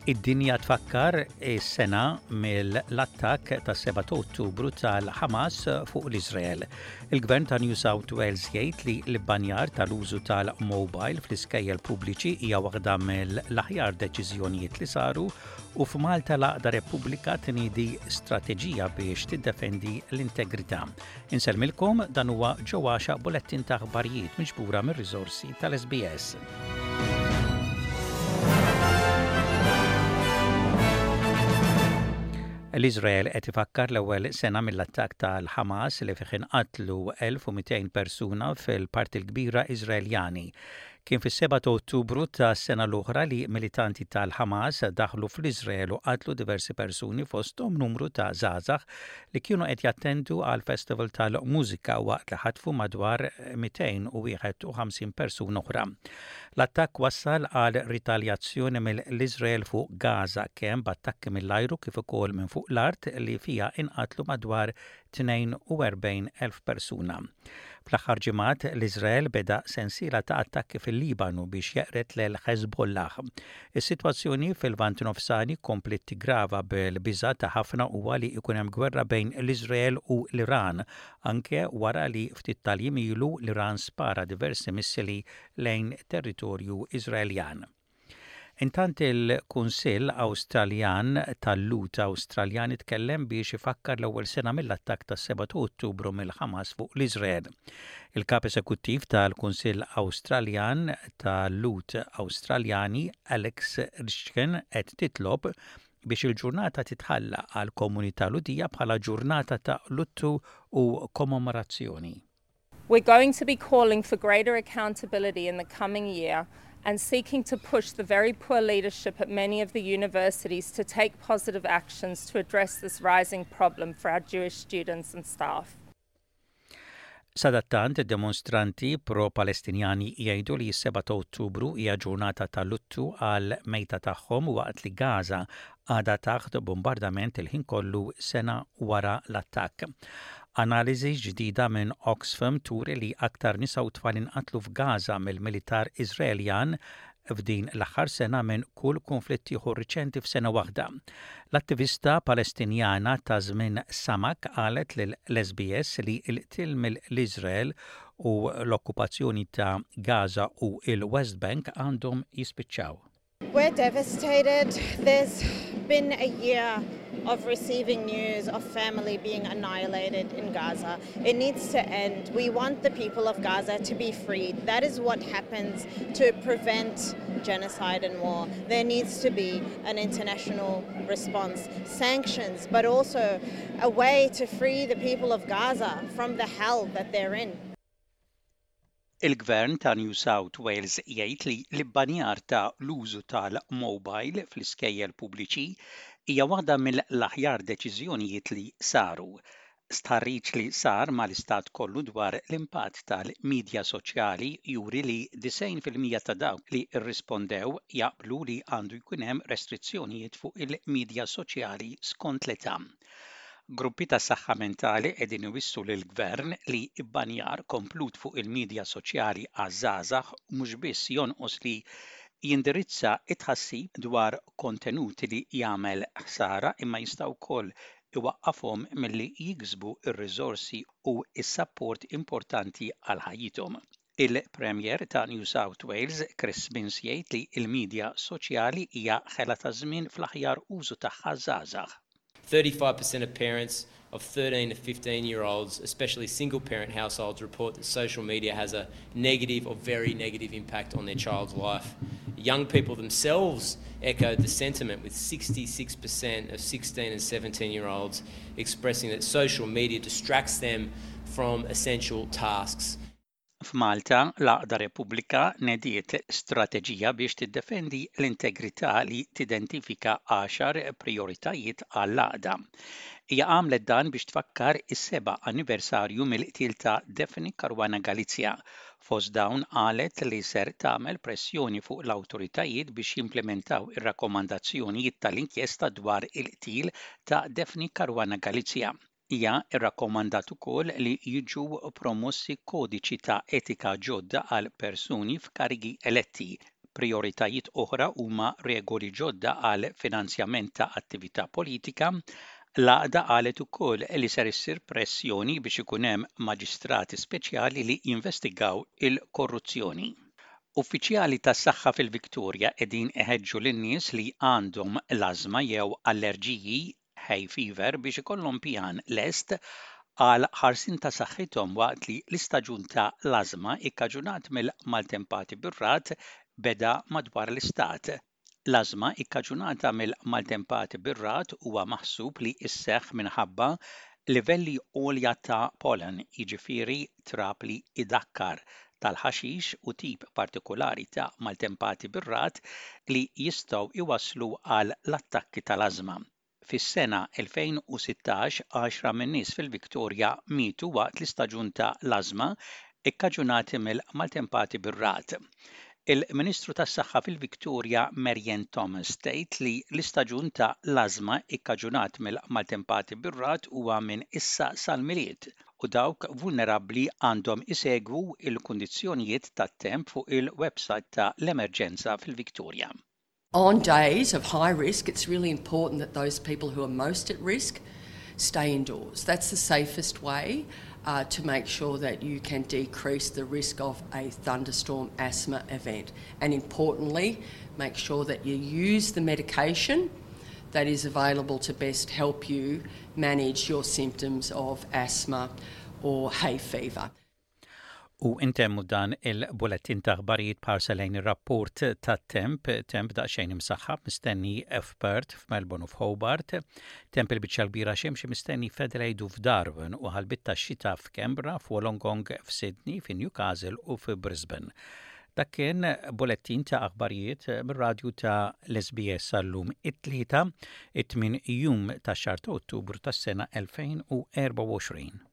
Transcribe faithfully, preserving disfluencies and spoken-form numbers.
Id-dinja tfakkar is-sena mill-attakk tas-sebgħa ta' Ottubru tal-Hamas fuq l-Izrael. Il-Gvern ta' New South Wales jgħid li l-ibbanjar tal-użu tal-mobile fl-iskejjel pubbliċi hija waħda mill-aħjar deċiżjonijiet li saru, u f'Malta l-Għaqda Repubblika tniedi strateġija biex tiddefendi l-integrità. Insellmilkom, dan huwa ġewwaxa bulettin ta' aħbarijiet miġbura mir-riżorsi tal-S B S. L-Izrael qed ifakkar l-ewwel sena mill-attakk tal-Hamas li fih inqatlu elf u mitejn persuna, fil-parti l-kbira Iżraeljani. Kien fis-sebgħa ta' Ottubru ta' sena l-oħra li militanti tal-Hamas daħlu fl-Iżrael u qatlu diversi persuni, fosthom numru ta' żgħażagħ li kienu qed jattendu għal festival tal-mużika, waqt li ħatfu madwar mitejn u wieħed u ħamsin persuna oħra. L-attakk wassal għal ritaljazzjoni mill-Iżrael fuq Gaza, kemm b'attakki mill-ajru kif ukoll minn fuq l-art, li fija inqatlu madwar tnejn u erbgħin elf persuna. Fl-aħħar ġimgħat l-Iżrael beda sensiela ta' attakki fil-Libanu biex jeqred lil Hezbollah. Is-sitwazzjoni fil-Lvant Nofsani kompliet tigrava, bil-biża ta' ħafna huwa li jkun hemm gwerra bejn l-Iżrael u l-Iran, anke wara li ftit tal-jiem ilu l-Iran spara diversi missili lejn territorju Iżraeljan. Intant, il-Kunsill Awstraljan tal-Lhud Awstraljan itkellem biex ifakkar l-ewwel sena mill-attakk tas-sebgħa ta' Ottubru mill-Hamas fuq l-Iżrael. Il-kap esekuttiv tal-Kunsill Awstraljan tal-Lhud Awstraljani, Alex Ryvchin, qed titlob biex il-ġurnata titħalla għal komunità Lhudija bħala ġurnata ta' luttu u kommemorazzjoni. We're going to be calling for greater accountability in the coming year and seeking to push the very poor leadership at many of the universities to take positive actions to address this rising problem for our Jewish students and staff. Sadattant, demonstranti pro-Palestinjani jgħidu li s-sebgħa ta' Ottubru hija ġurnata ta' luttu għal mejta tagħhom, waqt li Gaza għadha taħt bombardament il-ħin kollu sena wara l-attakk. Analiżi ġdida minn Oxfam turi li aktar nisa u tfal inqatlu f'Gaza mill-militar Iżraeljan f'din l-aħħar sena minn kull konflitt ieħor riċenti f'sena waħda. L-attivista Palestinjana Tasnim Sammak qalet lill-S B S li l-qtil mill-Iżrael u l-okkupazzjoni ta' Gaza u il-West Bank għandhom jispiċċaw. We're devastated. There's been a year of receiving news of family being annihilated in Gaza. It needs to end. We want the people of Gaza to be freed. That is what happens to prevent genocide and war. There needs to be an international response, sanctions, but also a way to free the people of Gaza from the hell that they're in. Il-Gvern ta' New South Wales jgħid li l-ibbanjar ta' l-użu tal-mobile fl-iskejjel pubbliċi hija waħda mill-aħjar deċiżjonijiet li saru. Stħarriġ li sar mal-istat kollu dwar l-impatt tal-midja soċjali juri li disgħin fil-mija ta' dawk li rrispondew jaqblu li għandu jkun hemm restrizzjonijiet fuq il-midja soċjali skont l-età. Gruppi ta' saħħa mentali qegħdin iwissu lill-gvern li ibbanjar komplut fuq il-midja soċjali għaż-żgħażagħ mhux biss jonqos li jindirizza it-tħassib dwar kontenuti li jagħmel ħsara, imma jista' wkoll iwaqqafhom milli jiksbu ir-riżorsi u s-sapport importanti għal ħajjithom. Il-Premier ta' New South Wales, Chris Minns, jgħid li l-midja soċjali hija ħela ta' żmien fl-aħjar użu tagħha żgħażagħ. thirty-five percent of parents of thirteen to fifteen year olds, especially single parent households, report that social media has a negative or very negative impact on their child's life. Young people themselves echoed the sentiment, with sixty-six percent of sixteen and seventeen year olds expressing that social media distracts them from essential tasks. F'Malta, l-Għaqda Repubblika nediet strateġija biex tiddefendi l-integrità li tidentifika għaxar prioritajiet għall-għaqda. Hija għamlet dan biex tfakkar is-seba' anniversarju mill-qtil ta' Daphne Caruana Galizia. Fost dawn qalet li ser tagħmel pressjoni fuq l-awtoritajiet biex jimplementaw ir-rakkomandazzjonijiet tal-inkjesta dwar il-qtil ta' Daphne Caruana Galizia. Hija rrakkomandat ukoll li jiġu promossi kodiċi ta' etika ġodda għal persuni f'karigi eletti. Prioritajiet oħra huma regoli ġodda għal finanzjament ta' attività politika. L-għaqda qalet ukoll li ser issir pressjoni biex ikun hemm maġistrati speċjali li jinvestigaw il-korruzzjoni. Uffiċjali tas-saħħa fil-Viktoria qegħdin iħeġġu lin-nies li għandhom l-ażma jew allerġiji, hay fever, biex ikollhom pjan lest għal ħarsien ta' saħħithom waqt li l-istaġun ta' l-ażma ikkaġunat mill-maltempati bir-ragħad beda madwar l-istat. L-ażma ikkaġunata mill-maltempati bir-ragħad huwa maħsub li isseħħ minħabba livelli għolja ta' pollen, jiġifieri trab li idakkar tal-ħaxix, u tip partikolari ta' maltempati bir-ragħad li jistgħu iwasslu għal l-attakki tal-ażma. Fis-sena elfejn u sittax, għaxra min-nies fil-Viktorja mietu waqt l-istaġun ta' l-ażma ikkaġunati mill-maltempati bir-ragħad. Il-Ministru tas-Saħħa fil-Viktoria, Marianne Thomas, tgħid li l-istaġun ta' l-ażma ikkaġunat mill-maltempati bir-ragħad huwa minn issa sal-Milied u dawk vulnerabbli għandhom isegwu il-kundizzjonijiet tat-temp fuq il-website ta' l-emerġenza fil-Viktoria. On days of high risk, it's really important that those people who are most at risk stay indoors. That's the safest way uh, to make sure that you can decrease the risk of a thunderstorm asthma event. And importantly, make sure that you use the medication that is available to best help you manage your symptoms of asthma or hay fever. U intemmu dan il-bulettin ta' aħbarijiet b'ħarsa lejn ir-rapport ta' temp, temp daqsxejn imsaħħab mistenni f'Perth, f'Melbourne u f'Hobart, temp il-biċċa kbira xemxi mistenni f'Adelaide u f'Darwin u ħalbiet ta' xita f'Canberra, f'Wollongong, f'Sydney, f'Newcastle u f'Brisbane. Dak kien bulettin ta' aħbarijiet mir-radju ta' l-S B S għal-lum it-Tlieta, it-tmien jum ta' xahar ta' Ottubru tas-sena elfejn u erbgħa u għoxrin.